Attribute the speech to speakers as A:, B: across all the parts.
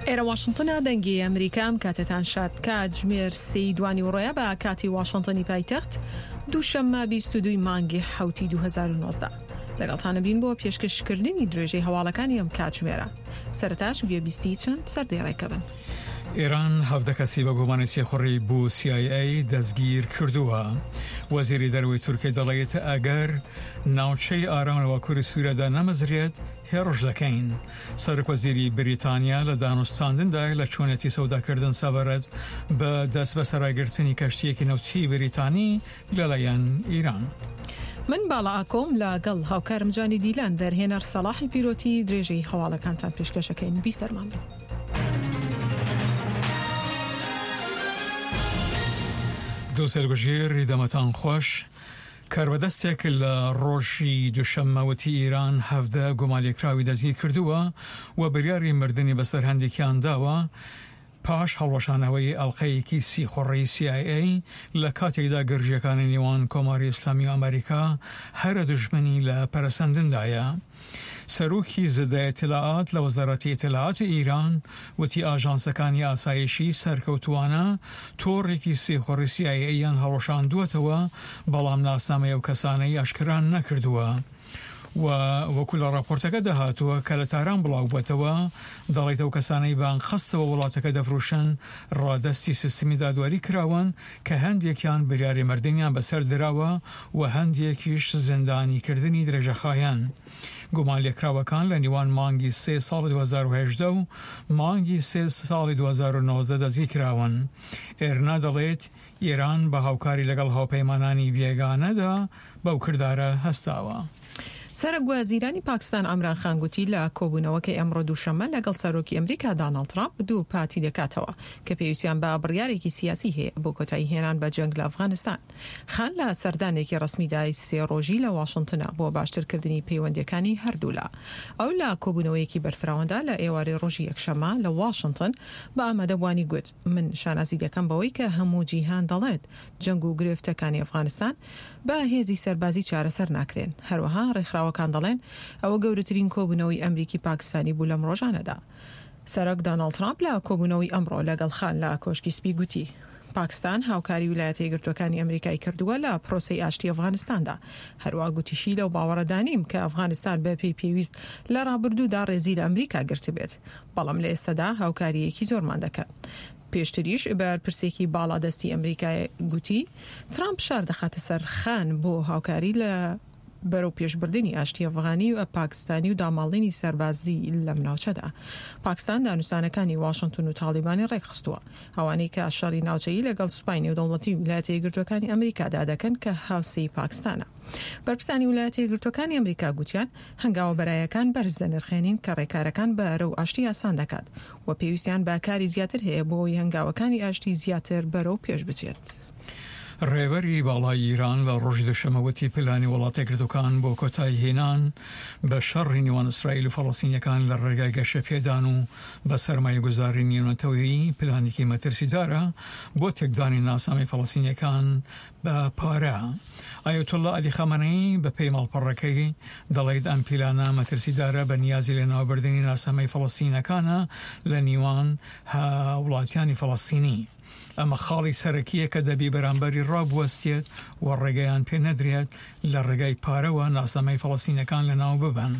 A: ئێرە واشنتنە دەنگی ئەمریکا ئەم کاتەتان شاد کاتژمێر سێی دوانیوەڕۆیە بە کاتی واشنتنی پایتەخت دووشەممە 22 مانگی حوتی 2019 لەگەڵتانە بین بۆ پێشکەشکردنی درێژەی هەواڵەکانی ئەم کاتژمێرە سەرتاش گوێبیستی چەند سەردێڕێکە بن.
B: ئێران 17 کەسی بە گومانی سیخوڕی بۆ CIA دەستگیر کردووە. وەزیری دەرەوەی تورکیا دەڵێت ئەگەر ناوچەی ئارام لە باکووری سووریادا نەمەزرێت هێڕش دەکەین. سەرۆکوەزیری بریتانیا لە دانوستاندندایە لە چۆنیەتی سەوداکردن سەبارەت بە دەستبەسەراگرتنی کەشتییەکی نەوتیی بریتانی لەلایەن ئیران.
A: من باڵا ئاکۆم لە گەڵ هاوکارم جانی دیلان دەرهێنەر سەڵاحی پیرۆتی درێژەی هەواڵەکانتان پێشکەشەکەین بیسەرمان بن.
B: دووسێل گوژیر دەمەتان خۆش. کاربەدەستێک لە ڕۆژی دوشەممە وتی ئیران 17 گومانلێکراوی دەستگیر کردووە و بریاری مردنی بەسەر هەندێکیان داوە پاش هەڵوەشانەوەی ئەڵقەیەکی سیخوڕی سی ئای ئەی لە کاتێکدا گرژییەکانی نێوان کۆماری ئیسلامی و ئەمریکا هەرە دوژمنی لە پەرەسەندندایە. سەرۆکی زدە ئیتلاعات لە وەزارەتی ئیتلاعاتی ئیران وتی ئاژانسەکانی ئاسایشی سەرکەوتووانە تۆڕێکی سیخوڕی سی ئای ئەییان هەڵوەشاندووەتەوە بەڵام ناسنامەی ئەو کەسانەی ئاشکرا نەکردووە و وەکو لە ڕاپۆرتەکەدا هاتووە کە لە تاران بڵاوبووەتەوە دەڵێت ئەو کەسانەی بە ئەنقەستەوە وڵاتەکە دەفرۆشن ڕادەستی سیستمی دادوەری کراون کە هەندێکیان بریاری مردنیان بەسەر دراوە و هەندێکیش زیندانیکردنی درێژەخایەن. گومانلێکراوەکان لە نێوان مانگی سێ ساڵی 2018 و مانگی سێ ساڵی 2019 دەستگیرکراون. ئێرنا دەڵێت، ئێران بە هاوکاری لەگەڵ هاوپەیمانانی بێگانەدا بەو کردارە هەستاوە.
A: سەرۆک وەزیرانی پاکستان عەمران خان گوتی لە کۆبوونەوەکەی ئەمڕۆ دووشەممە لەگەڵ سەرۆکی ئەمریکا داناڵد ترامپ دووپاتی دەکاتەوە کە پێویستیان بە بڕیارێکی سیاسی هەیە بۆ کۆتایی هێنان بە جەنگ لە ئەفغانستان. خان لە سەردانێکی ڕەسمیدای سێ ڕۆژی لە واشنتنە بۆ باشترکردنی پەیوەندییەکانی هەردوولا. ئەو لە کۆبوونەوەیەکی بەرفراواندا لە ئێوارەی ڕۆژی یەکشەممە لە واشنتن بە ئامادەبووانی گوت من شانازی دەکەم بەوەی کە هەموو جیهان دەڵێت جەنگ و گرفتەکانی ئەفغانستان بە هێزی سەربازی چارەسەر ناکرێن. هەروەها ڕێکخراوەکان دەڵێن ئەوە گەورەترین کۆبوونەوەی ئەمریکی پاکستانی بوو لەم ڕۆژانەدا. سەرۆک داناڵد ترامپ لە کۆبوونەوەی ئەمڕۆ لەگەڵ خان لە کۆشکی سپی گوتی، پاکستان هاوکاری ویلایەتە یەکگرتووەکانی ئەمریکای کردووە لە پرۆسەی ئاشتی ئەفغانستاندا. هەروەها گوتیشی لەو باوەڕەدا نیم کە ئەفغانستان بە پێی پێویست لە ڕابردوودا ڕێزی لە ئەمریکا گرتبێت، بەڵام لە ئێستادا هاوکارییەکی زۆرمان دەکەن. پێشتریش بەرپرسێکی باڵادەستی ئەمریکا گوتی، ترامپ فشار دەخاتە سەر خان بۆ هاوکاری لە بەرەوپێشبردنی ئاشتی ئەفغانی و پاکستانی و داماڵینی سەربازی لەم ناوچەدا. پاکستان دانوستانەکانی واشنتن و تاڵیبانی ڕێکخستووە، ئەوانەی کە شەڕی ناوچەیی لەگەڵ سوپای نێودەوڵەتی ویلایەتە یەکگرتووەکانی ئەمریکادا دەکەن کە هاوسێی پاکستانە. بەرپرسانی ویلایەتە یەکگرتووەکانی ئەمریکا گوتیان، هەنگاوە بەرایەکان بەرز دەنرخێنین کە ڕێکارەکان بەرەو ئاشتی ئاسان دەکات و پێویستیان بە کاری زیاتر هەیە بۆ ئەوەی هەنگاوەکانی ئاشتی زیاتر بەرەو پێش بچێت.
B: ڕێبەری باڵای ئیران لە ڕۆژی دووشەممە وتی پلانی وڵاتە یەکگرتووەکان بۆ کۆتایی هێنان بە شەڕی نێوان ئیسرائیل و فەڵەستینیەکان لە ڕێگای گەشەپێدان و بە سەرمایەگوزاری نێونەتەوەیی پلانێکی مەترسیدارە بۆ تێکدانی ناسنامەی فەڵەستینیەکان بە پارە. ئایەتوڵڵا عەلی خامەنەیی بە پێی ماڵپەڕەکەی دەڵیت ئەم پیلانە مەترسیدارە بە نیازی لەناوبردنی ناسنامەی فەڵەستینەکانە لە نیوان هاوڵاتیانی فەڵەستینی. ئەمە خاڵی سەرەکییە کە دەبی بەرامبەری ڕابوەستێت و ڕێگەیان پێ نەدرێت لە ڕێگای پارەوە ناسنامەی فەڵەستینەکان لەناو ببەن.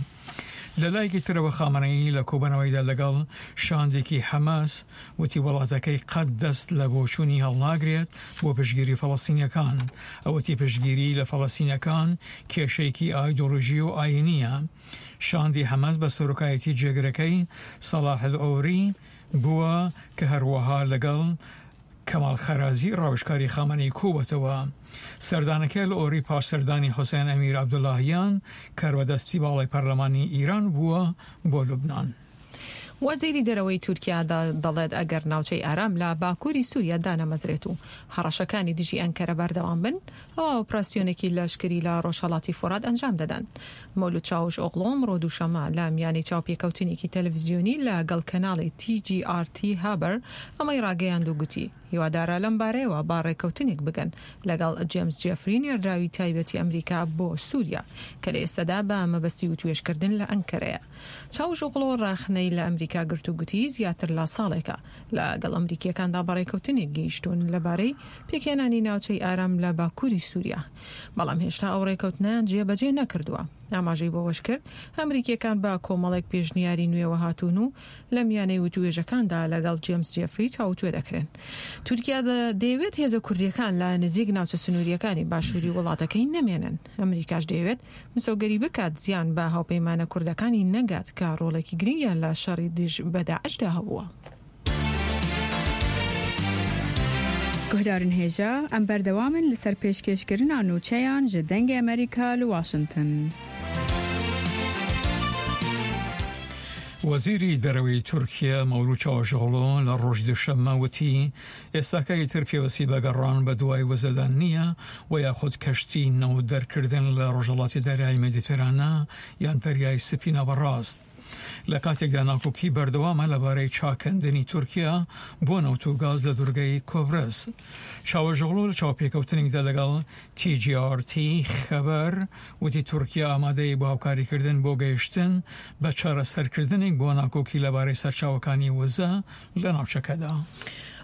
B: لە لایەکی ترەوە خامەنەیی لە کۆبەنەوەیدا لەگەڵ شاندێکی حەماس وتی وڵاتەکەی قەت دەست لە بۆچوونی هەڵناگرێت بۆ پشتگیری فەڵەستینیەکان. ئەو وتی پشتگیری لە فەڵەستینەکان کێشەیەکی ئایدۆلۆژی و ئایینییە. شاندی حەماس بە سەرۆکایەتی جێگرەکەی سەڵاح ئەلعوری بووە کە هەروەها لەگەڵ کەمال خەرازی ڕاوێژکاری خامەنەیی کۆبووەتەوە. سەردانەکەی ئەلعوری پاش سەردانی حوسێن ئەمیر عەبدوڵاهیان کاربەدەستی باڵای پەرلەمانی ئیران بووە بۆ لوبنان.
A: وەزیری دەرەوەی تورکیا دەڵێت ئەگەر ناوچەی ئارام لە باکووری سووریا دانەمەزرێت و هەڕەشەکانی دژی ئەنکەرە بەردەوام بن، ئەوا ئۆپراسیۆنێکی لەشکری لە ڕۆژهەڵاتی فورات ئەنجام دەدەن. مەولود چاوش ئۆغڵۆ ئەمڕۆ دووشەممە لە میانەی چاوپێکەوتنێکی تەلەفزیۆنی لە گەڵ کەناڵی تی جی ئاڕ تی هابەر ئەمەی ڕاگەیاند و گوتی، هیوادارە لەم بارەیەوە بە ڕێککەوتنێک بگەن لەگەڵ جێمس جێفری نێردراوی تایبەتی ئەمریکا بۆ سوریا کە لە ئێستادا بە مەبەستی وتوێژکردن لە ئەنکەرەیە. چاوشئۆغڵۆ ڕەخنەی لە ئەمریکا گرت و گوتی زیاتر لە ساڵێکە لەگەڵ ئەمریکییەکاندا بە ڕێککەوتنێک گەیشتوون لەبارەی پێکهێنانی ناوچەی ئارام لە باکووری سوریا، بەڵام هێشتا ئەو ڕێککەوتنەیان جێبەجێ نەکردووە. ئاماژەی بەوەشکرد، ئەمریکییەکان بە کۆمەڵێک پێشنیاری نوێوە هاتوون و لە میانەی وتووێژەکاندا لەگەڵ جێمس جێفری تاووتوێ دەکرێن. تورکیا دەیەوێت هێزە کوردییەکان لە نزیک ناوچە سنوورییەکانی باشووری وڵاتەکەی نەمێنن، ئەمریکاش دەیەوێت مسۆگەری بکات زیان بە هاوپەیمانە کوردەکانی نەگات کە ڕۆڵێکی گرنگیان لە شەڕی دژ بە داعشدا هەبووە.
C: Guhdarên hêja, em berdewam in li ser pêşkêşkirina nûçeyan ji Dengê Amerîka li Washington.
B: وەزیری دەرەوەی تورکیە مەولود چاوشئۆغڵۆ لە ڕۆژی دووشەممە وتی، ئێستاکە ئیتر پێوەستی بە گەڕان بە دوای وزەدا نییە و یاخود کەشتی نەوت دەرکردن لە ڕۆژهەڵاتی دەریای مێدیتێرانە یان دەریای سپی ناوەڕاست. لە کاتێکدا ناکۆکی بەردەوامە لەبارەی چاکەندنی تورکیا بۆ نەوت و گاز لە دورگەی کۆبرس. چاوەشئۆغڵو لە چاوپێکەوتنێکدا لەگەڵ TGRT خەبەر وتی تورکیا ئامادەیە بۆ هاوکاریکردن بۆ گەیشتن بە چارەسەرکردنێک بۆ ناکۆکی لەبارەی سەرچاوەکانی وزە لە ناوچەکەدا.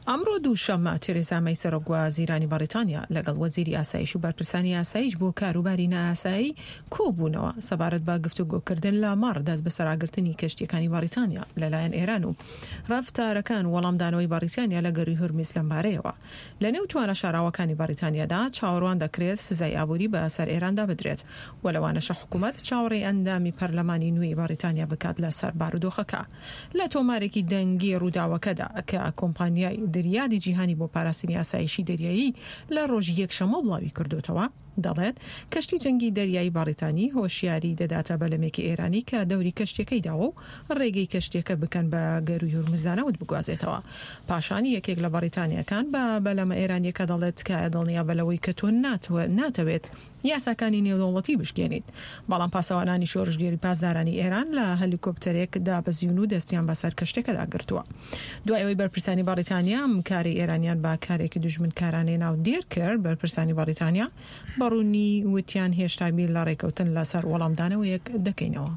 A: ئەمڕۆ دووشەممە، تێرێزا مەی سەرۆک وەزیرانی بەڕیتانیا لەگەڵ وەزیری ئاسایش و بەرپرسانی ئاسایش بۆ کاروباری نایاسایی کۆبوونەوە سەبارەت بە گفتوگۆکردن لەمەڕ دەستبەسەراگرتنی کەشتییەکانی بەڕیتانیا لەلایەن ئێران و ڕەفتارەکان و وەڵامدانەوەی بەڕیتانیا لە گەرووی هورمیز لەمبارەیەوە. لەنێو توانا شاراوەکانی بەڕیتانیادا چاوەڕوان دەکرێت سزای ئابووری بە سەر ئێراندا بدرێت و لەوانەشە حکوومەت چاوەڕێی ئەندامی پەرلەمانی نوێی بەڕیتانیا بکات لەسەر بارودۆخەکە. لە تۆمارێکی دەنگی ڕووداوەکەدا کە کۆمپانیای دریادی جیهانی بۆ پاراستنی ئاسایشی دەریایی لە ڕۆژی یەکشەممە بڵاوی کردۆتەوە، دەڵێت، کەشتی جەنگی دەریایی بەڕیتانی هۆشیاری دەداتە بەلەمێکی ئێرانی کە دەوری کەشتیەکەی داوە و ڕێگەی کەشتیەکە بکەن بە گەرووی هورمزدا نەوت بگوازێتەوە. پاشان یەکێک لە بەڕیتانیەکان بە بەلەمە ئێرانیەکە دەڵێت تکایە دڵنیابە لەوەی کە تۆ ناتەوێت یاساکانی نێودەوڵەتی بشکێنیت. بەڵام پاسەوانانی شۆرشگێری پاسدارانی ئێران لە هەلیکۆپتەرێک دابەزیون و دەستیان بەسەر کەشتیەکەدا گرتووە. دوای ئەوەی بەرپرسانی بەڕیتانیا ئەم کارەی ئێرانیان بە کارێکی دوژمنکارانەی ناودێر کرد، بەرپرسانی بەڕیتانیا بە ڕوونی وتیان هێشتا بیر لە ڕێکەوتن لەسەر وەڵامدانەوەیەک دەکەینەوە.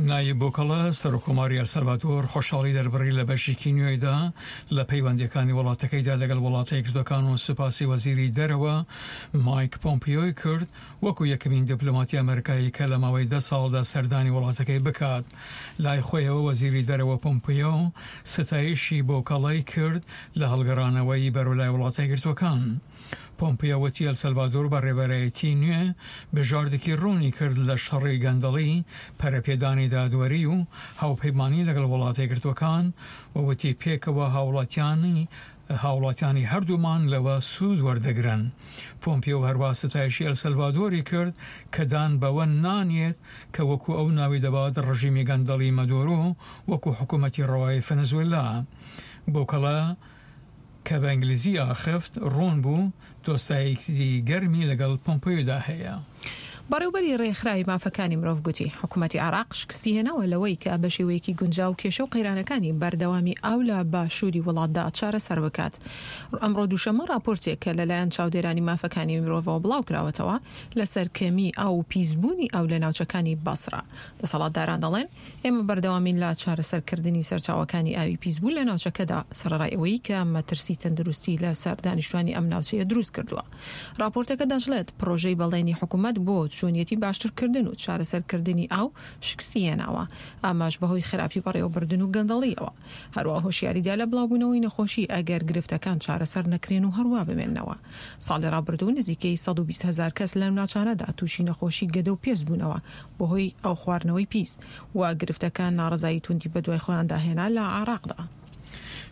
B: نایب بوکڵە، سەرۆککۆماری ئەلسەلڤادۆر خۆشحاڵی دەربڕی لە بەشێکی نوێیدا لە پەیوەندییەکانی وڵاتەکەیدا لەگەڵ وڵاتە یەکگرتووەکان و سوپاسی وەزیری دەرەوە مایک پۆمپیۆی کرد وەکو یەکەمین دیپلۆماتی ئەمەریکایی کە لە ماوەی دە ساڵدا سەردانی وڵاتەکەی بکات. لای خۆیەوە وەزیری دەرەوە پۆمپیۆ ستایشی بوکڵەی کرد لە هەڵگەڕانەوەی بەرەو لای وڵاتە یەکگرتووەکان. پۆمپیۆ وتی ئەلسەلڤادۆر بە ڕێبەرایەتی نوێ بژاردێکی ڕوونی کرد لە شەڕی گەندەڵی، پەرەپێدانی دادوەری و هاوپەیمانی لەگەڵ وڵاتە یەکگرتووەکان و وتی پێکەوە هاوڵاتیانی هاوڵاتیانی هەردوومان لەوە سوود وەردەگرن. پۆمپیۆ هەروا ستایشی ئەلسەلڤادۆری کرد کە دان بەوە نانێت کە وەکو ئەو ناوی دەبات ڕژیمی گەندەڵی مەدۆرۆ وەکو حکومەتی ڕەوای فەنزوێلا بوکەڵە کە بە ئینگلیزی ئاخفت، ڕوون بوو دۆستایەکی گەرمی لەگەڵ پۆمپەیۆدا هەیە.
A: بەڕێوبەری ڕێکخراوی مافەکانی مرۆڤ گوتی، حکومەتی عێراق شکستیهێناوە لەوەی کە بە شێوەیەکی گونجاو کێشە و قەیرانەکانی بەردەوامی ئاو لە باشووری وڵاتدا چارەسەر بکات. ئەمڕۆ دووشەممە ڕاپۆرتێک کە لەلایەن چاودێرانی مافەکانی مرۆڤەوە بڵاوکراوەتەوە لەسەر کەمیی ئاو و پیسبوونی ئاو لە ناوچەکانی بەسڕە، دەسەڵاتداران دەڵێن، ئێمە بەردەوامین لە چارەسەرکردنی سەرچاوەکانی ئاوی پیسبوو لە ناوچەکەدا، سەرەڕای ئەوەی کە مەترسی تەندروستی لەسەر دانیشتوانی ئەم ناوچەیە دروست کردووە. ڕاپۆرتەکە دەشڵێت، پڕۆژەی بەڵێنی حکومەت بۆ چۆنیەتی باشترکردن و چارەسەرکردنی ئاو شکستی هێناوە، ئەمەش بەهۆی خراپی بەڕێوەبردن و گەندەڵییەوە. هەروەها هۆشیاری دا لە بڵاوبوونەوەی نەخۆشی ئەگەر گرفتەکان چارەسەر نەکرێن و هەروا بمێننەوە. ساڵی ڕابردوو نزیکەی 120 هەزار کەس لەم ناوچانەدا تووشی نەخۆشی گەدە و پێست بوونەوە بەهۆی ئاوخواردنەوەی پیس و گرفتەکان ناڕەزایی توندی بەدوای خۆیاندا هێنا لە عێراقدا.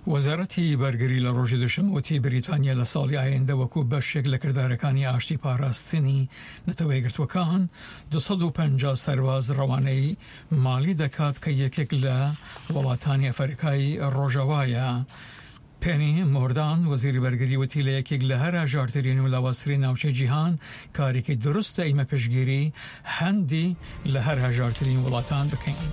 B: وەزارەتی بەرگری لە ڕۆژی دوشەممە وتی بریتانیا لە ساڵی ئایندە وەکو بەشێک لە کردارەکانی ئاشتی پاراستنی نەتەوە یەکگرتووەکان 250 سەرباز ڕەوانەی مالی دەکات کە یەکێک لە وڵاتانی ئەفەریقای ڕۆژاوایە. پێنی مۆردان، وەزیری بەرگری وتی لە یەکێک لە هەرە ژارترین و لاوازترین ناوچەی جیهان کارێکی دروستە ئیمە پشتگیری هەندی لە هەر هەژارترین وڵاتان بکەین.